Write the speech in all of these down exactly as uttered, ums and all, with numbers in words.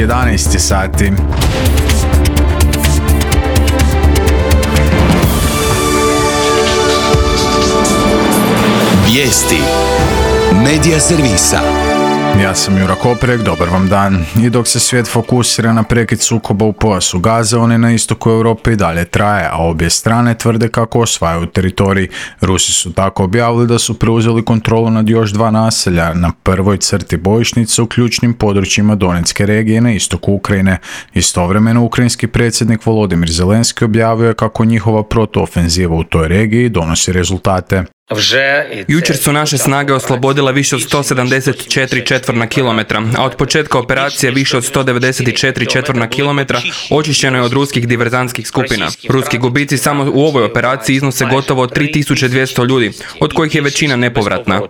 jedanaest sati. Vijesti Medija servisa. Ja sam Jura Koprek, dobar vam dan. I dok se svijet fokusira na prekid sukoba u pojasu Gaze, on je na istoku Europe i dalje traje, a obje strane tvrde kako osvajaju teritorij. Rusi su tako objavili da su preuzeli kontrolu nad još dva naselja na prvoj crti bojišnice u ključnim područjima Donetske regije na istoku Ukrajine. Istovremeno, ukrajinski predsjednik Volodimir Zelenski objavio je kako njihova protuofenziva u toj regiji donosi rezultate. Jučer su naše snage oslobodile više od sto sedamdeset četiri četvorna kilometra, a od početka operacije više od sto devedeset četiri četvorna kilometra očišćeno je od ruskih diverzantskih skupina. Ruski gubici samo u ovoj operaciji iznose gotovo tri tisuće dvjesto ljudi, od kojih je većina nepovratna.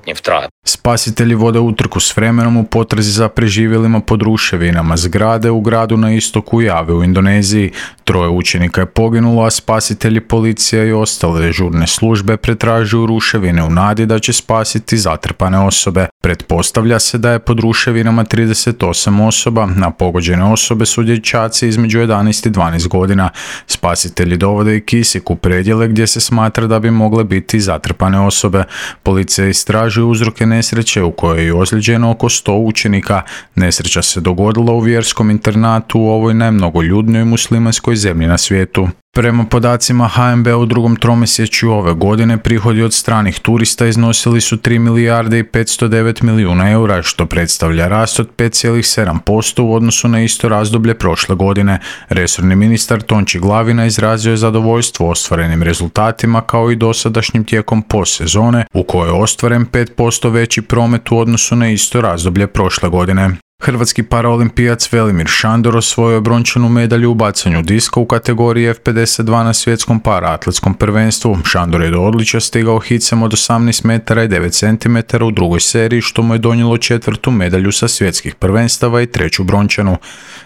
Spasitelji vode utrku s vremenom u potrazi za preživjelima pod ruševinama zgrade u gradu na istoku Jave u Indoneziji. Troje učenika je poginulo, a spasitelji, policija i ostale žurne službe pretražuju ruševine u nadi da će spasiti zatrpane osobe. Pretpostavlja se da je pod ruševinama trideset osam osoba, a pogođene osobe su dječaci između jedanaest i dvanaest godina. Spasitelji dovode i kisik u predjele gdje se smatra da bi mogle biti zatrpane osobe. Policija istražuje uzroke nesreće u kojoj je ozlijeđeno oko sto učenika. Nesreća se dogodila u vjerskom internatu u ovoj najmnogoljudnijoj muslimanskoj zemlji na svijetu. Prema podacima H N B u drugom tromjesečju ove godine prihodi od stranih turista iznosili su tri milijarde i petsto devet milijuna eura, što predstavlja rast od pet zarez sedam posto u odnosu na isto razdoblje prošle godine. Resorni ministar Tonči Glavina izrazio je zadovoljstvo ostvarenim rezultatima kao i dosadašnjim tijekom postsezone u kojoj je ostvaren pet posto veći promet u odnosu na isto razdoblje prošle godine. Hrvatski paraolimpijac Velimir Šandor osvojio je brončanu medalju u bacanju diska u kategoriji F pedeset dva na svjetskom paraatletskom prvenstvu. Šandor je do odličja stigao hicem od osamnaest metara i devet centimetara u drugoj seriji, što mu je donijelo četvrtu medalju sa svjetskih prvenstava i treću brončanu.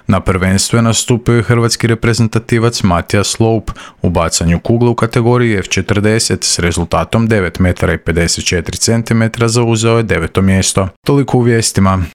Na prvenstvu je nastupio i hrvatski reprezentativac Matija Sloup u bacanju kugle u kategoriji F četrdeset s rezultatom devet metara i pedeset četiri centimetra zauzeo je deveto mjesto. Toliko u vijestima.